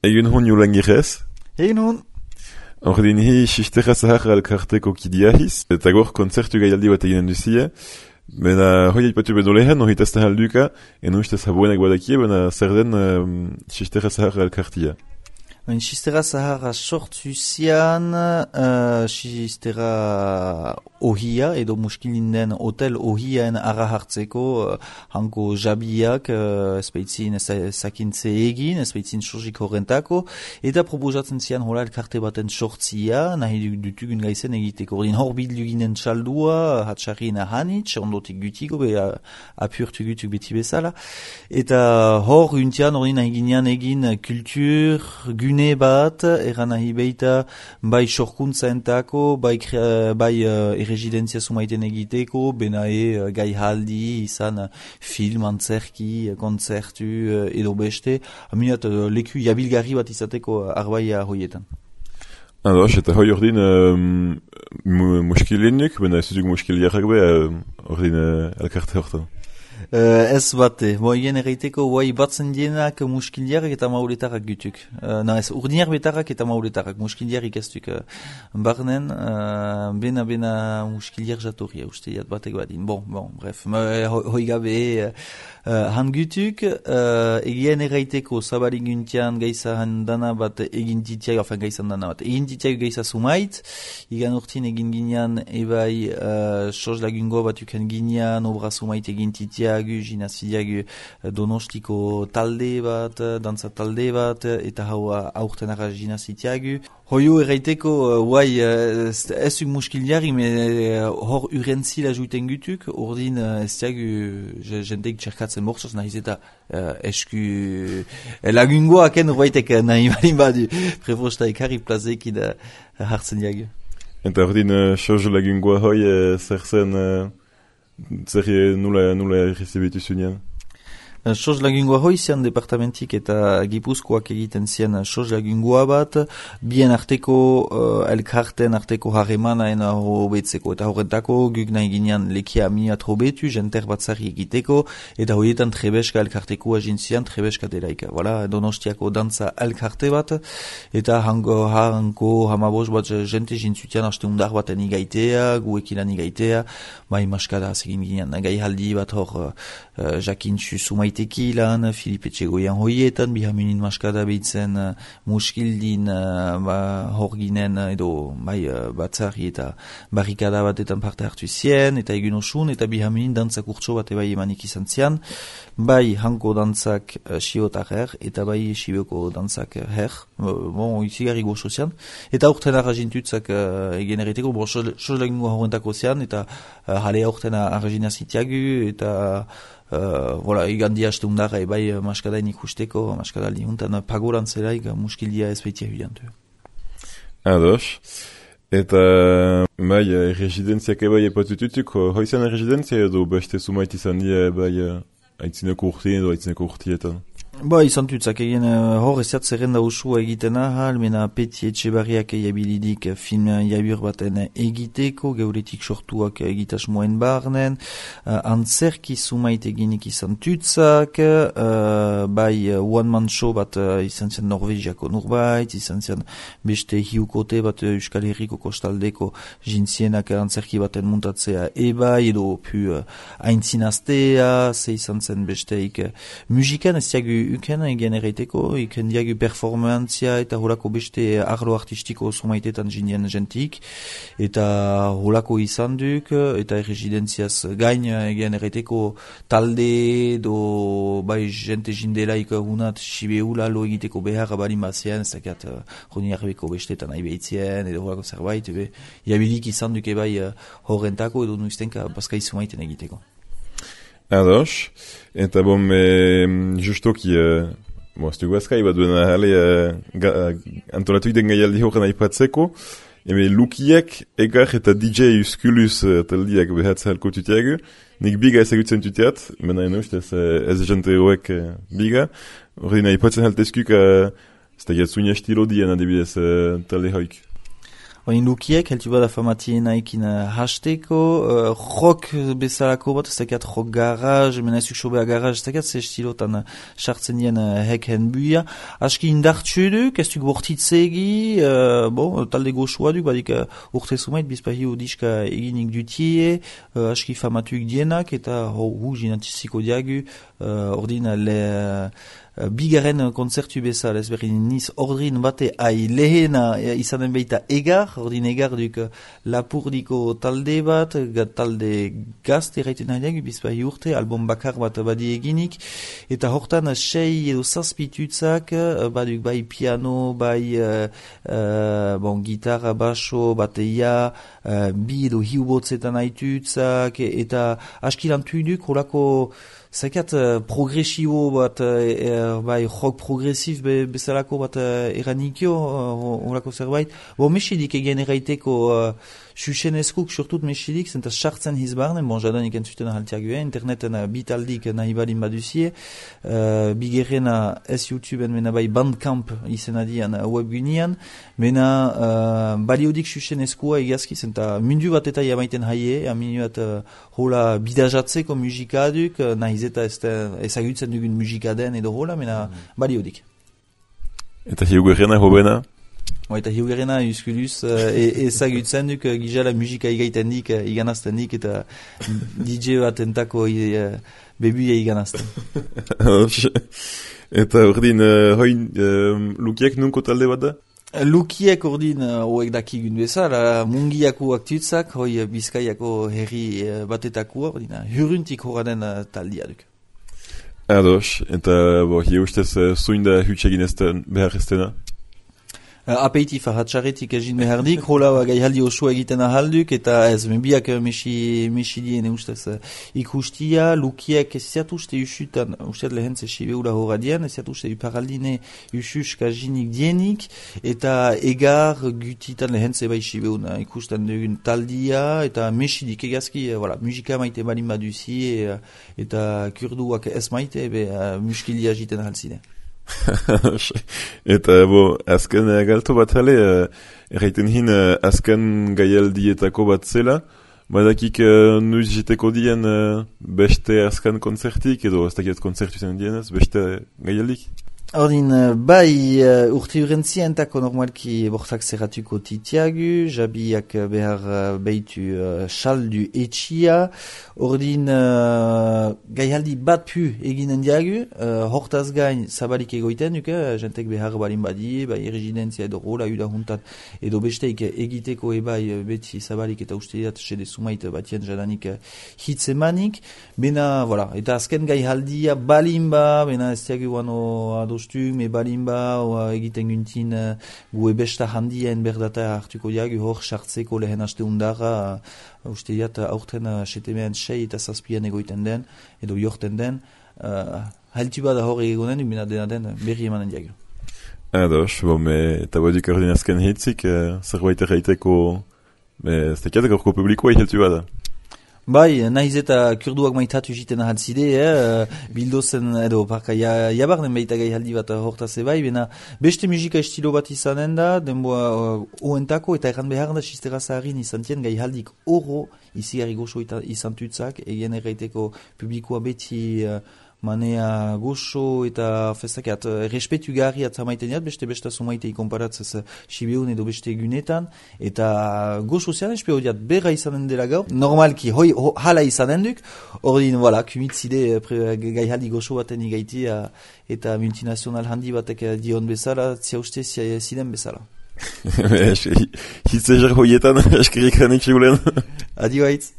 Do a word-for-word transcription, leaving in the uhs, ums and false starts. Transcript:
Egun hon jolan girez? Egun hon. Ordin hi Sistera Zahar elkarteko kidiahiz, eta gor konzertu gaialdi bat eginen duzia. Bena hoi aipatu beno lehen, hori tazta halduka, eno ustez habuenak badakie, bena zer den um, Sistera Zahar elkartia. Ben Sistera Zahara sortu zian, uh, Sistera ohia, edo muskilinden hotel ohiaen ara hartzeko, uh, hanko jabiak, uh, espeitzin zakintze egin, espeitzin sorgik horrentako, eta proposatzen zian hola elkarte baten sortzia, nahi dutugun gaizen egiteko. Ordin hor bilduginen txaldua, hatxarrin ahanitz, ondotik gutiko, be apurtu gutuk beti bezala, eta hor untian ordin nahi ginean egin kultur, gun bat, eran nahi beita bai sorkuntza entako, bai, bai uh, errezidentzia sumaiten egiteko, benae uh, gai haldi, izan uh, film, antzerki, kontzertu uh, edo beste, aminat uh, leku jabilgarri bat izateko uh, arbaia hoietan. Ados, eta hoi ordin um, muskilinuk, bena ez duk muskiliarrak be, uh, ordin uh, elkarte hortan. Uh, ez bate, bo egin erreiteko guai batzen dienak muskiliarrak eta mauletarrak gutuk. Uh, na ez, urdinar betarrak eta mauletarrak, muskiliarrik ez duk uh, barnen, uh, bena bena muskiliar jatorria uste jat batek badin. Bon, bon, bref, uh, hoi gabe uh, uh, han gutuk, uh, egin erreiteko zabari guntian gaiza dana bat egin titiak, enfin gaizan dana bat, egin titiak gaiza sumait, igan urtin egin ginean ebai uh, sos lagungo bat uken ginean, obra sumait egin titiak, ginazidiagu donostiko talde bat, dantza talde bat, eta hau aurten arra ginazitiagu. Hoio erraiteko, guai, ez duk muskiliari, me hor urentzila juiten gutuk, ordin ez diagu jenteik txerkatzen bortzoz, nahiz eta esku lagungoaken urbaitek nahi balin badu, prefosta ekarri plazekin hartzen diagu. Eta ordin, soz lagungoa hoi, zer zen... Zer nula, nula errezibitu zunean? Soz lagungoa hoi zian departamentik eta Gipuzkoak egiten zian soz lagungoa bat, bien arteko uh, elkarten arteko harremanaen hobetzeko, eta horretako guk nahi ginean lekia miat hobetu, jenter batzari egiteko, eta horietan trebeska elkarteko agin zian, trebeska delaika. Voilà, Donostiako dantza elkarte bat, eta hango, hanko hamabos bat jente jintzutian haste undar baten igaitea, guekilan igaitea, bai maskada segin ginean, gai haldi bat hor uh, jakintzu sumait tekilan, Filipe Txegoian hoietan, bihamunin maskada behitzen uh, muskildin uh, ba, hor ginen edo bai, uh, batzari eta barrikada batetan parte hartu zien, eta egun osun, eta bihamunin dantzak urtso bat ebai emanik izan zian, bai hanko dantzak uh, siotar her, eta bai sibioko dantzak her, uh, bon, izigarri gozo zian, eta urten arrazintutzak uh, egen erreteko, bon, sos lagungo horrentako zian, eta uh, jale urten arrazinazitiagu, eta Uh, voilà, igandi haste undara ebai maskadain ikusteko, maskada lihuntan pagoran zelaik muskildia ez behitia huiantu. Ados. Eta bai, residenziak ebai epatututuk, hoizan residentzia edo beste sumait izan dira ebai aitzineko urtien edo aitzineko urtietan? Ba, izan tutzak egin uh, hor eziat zerrenda usua egiten ahal, mena Peti Etxebarriak egabilidik film jabur baten egiteko, geuretik sortuak egitasmoen barnen, uh, antzerki sumait eginik izan tutzak, uh, bai uh, one man show bat uh, izan zian Norvegiako nurbait, izan zian beste hiukote bat uh, Euskal Herriko kostaldeko jintzienak antzerki baten muntatzea ebai, edo pu uh, aintzinaztea, ze izan zen besteik uh, musikan ez diagu uken egen erreiteko, iken diagu performantzia eta holako beste arlo artistiko somaitetan jindien jentik, eta holako izan duk, eta erresidentziaz gain egen erreiteko talde do bai jente jindelaik hunat sibeula lo egiteko behar balin bazien, ez dakiat joni arbeko bestetan nahi behitzien, edo holako zerbait, ebe, jabilik izan duke bai horrentako edo nuiztenka bazkai somaiten egiteko. Ados, eta bom, e, justoki, e, bo, ez dugu azkai bat duena jale, e, antolatu iden gaialdi horren aipatzeko, eme lukiek egar eta D J Uskulus taldiak behatza halko tutiagu, nik biga ezagutzen tutiat, mena eno, ez, ez jante hoek biga, horrein aipatzen haltezkuk, ez da giat zunia estilo dien adibidez talde hoik. Oin lukiek, heltu bada famatiena ekin uh, hasteko, uh, rock bezalako bat, ez dakiat rock garage, mena ezuk sobea garage, ez dakiat ze estilotan sartzen uh, dien uh, heken buia. Aski indartsu duk, ez duk bortitzegi, uh, bon, talde goxua duk, badik uh, urte sumait, bizpahi udiska eginik dutie, uh, aski famatuik dienak, eta ho, hu jinatiziko diagu, uh, ordin le... Uh, Bigaren konzertu bezala, ez berri niz ordrin bate ai lehena izanen beita egar, ordin egar duk lapurdiko talde bat, talde gazte erraiten haideak, bizpai urte, album bakar bat badi eginik, eta hortan sei edo zazpitutzak, baduk bai piano, bai uh, uh, bon, gitarra, baso, bateia, uh, bi edo hiubotzetan haitutzak, eta askilantu duk, horako zakat uh, progresibo bat, uh, bai, rock progresif be, bezalako bat uh, eranikio, horako uh, zerbait. Bo, mesidik egen erraiteko uh, xuxenezkuk, surtut mesidik, zenta sartzen hizbarnen, bon, jadanik entzuten ahaltiague, interneten uh, bitaldik nahi balin baduzie, uh, bigerrena ez YouTubeen, mena bai Bandcamp izena dian uh, webgunean, mena uh, baliodik xuxenezkoa egazki, zenta mundu bat eta jamaiten haie, aminu bat uh, hola bidajatzeko musikaduk, uh, nahiz eta ezagutzen dugun musikaden edo hola, mena mm. baliodik. Eta hiugerrena hobena? O, eta hiugerrena euskuluz ezagutzen duk gizala musika igaiten dik, iganazten dik, eta D J bat entako uh, bebuia iganazten. Eta ordin, uh, hoin uh, lukiek nunko talde bat da? Lukiek ordin hoek uh, dakigun bezala, mungiako aktutzak, hoi Bizkaiako herri uh, batetakua, ordin huruntik horaden uh, taldia duk. Ados, eta bo, hi ustez uh, zuin da hutxegin ezten behar eztena? Uh, apeitif ahatxaretik egin behardik, hola gai haldi oso egiten ahalduk, eta ez, menbiak mesi, mesi dien ustez uh, ikustia, lukiek eziat uste usutan, usteat lehen ze sibeula horra dien, eziat uste uparaldine ususk aginik dienik, eta egar gutitan lehen ze bai sibeuna ikusten dugun taldia, eta mesidik egazki, uh, voilà, musika maite balin baduzi, uh, eta kurduak ez maite, be, uh, muskilia jiten ahalzine. Eta bo, azken uh, galto bat hale, uh, erraiten hin uh, azken gaialdietako bat zela, badakik uh, nuiz jiteko dien uh, beste azken konzertik, edo ez dakiet konzertu zen dienez, beste gaialdik? Ordin, bai uh, urte urentzientako normalki bortak zerratuko titiagu, jabiak behar uh, behitu uh, saldu etxia, ordin uh, gaialdi bat pu eginen diagu, uh, hortaz gain zabalik egoiten duke, jentek behar balin badi, bai errezidentzia edo rola uda juntat, edo besteik egiteko ebai beti zabalik eta usteiat sede sumait batien jadanik uh, hitzemanik, bena, voilà, eta azken gaialdia balin ba, bena ez diagu wano ado me balimba o egiten guntin uh, gu ebesta handien berdata hartuko diagu hor sartzeko lehen aste undara uh, uste diat aurten uh, setemean sei eta zazpian egoiten den edo jorten den uh, haltu bada hor egonen bina dena den berri emanen diagu. Ados, bo me eta bodik ordin azken hitzik uh, zerbait erraiteko ez tekiat gaurko publikoa haltu bada. Bai, nahiz eta kurduak maitatu jiten ahaltzide, eh, bildozen edo parka ja, jabarnen baita gai haldi bat hortaz bai, bena beste musika estilo bat izanen da, denboa uh, oentako eta erran behar da sistera zaharin izantien gai haldik oro izigarri goxo izan tutzak, egin erraiteko publikoa beti uh, manea goxo eta festakat uh, respetu garri atzamaiten jat, beste besta sumaitei konparatzez uh, Sibeun edo beste egunetan, eta goxo zean espero diat berra izanen dela gaur, normalki hoi ho, hala izanen duk, ordin, voilà, kumitzide uh, gai haldi goxo baten igaiti uh, eta multinazional handi batek uh, dion bezala, zia uste ziden bezala. Hitzezer hoietan, eskerrik hanik segulen. Adio haitz.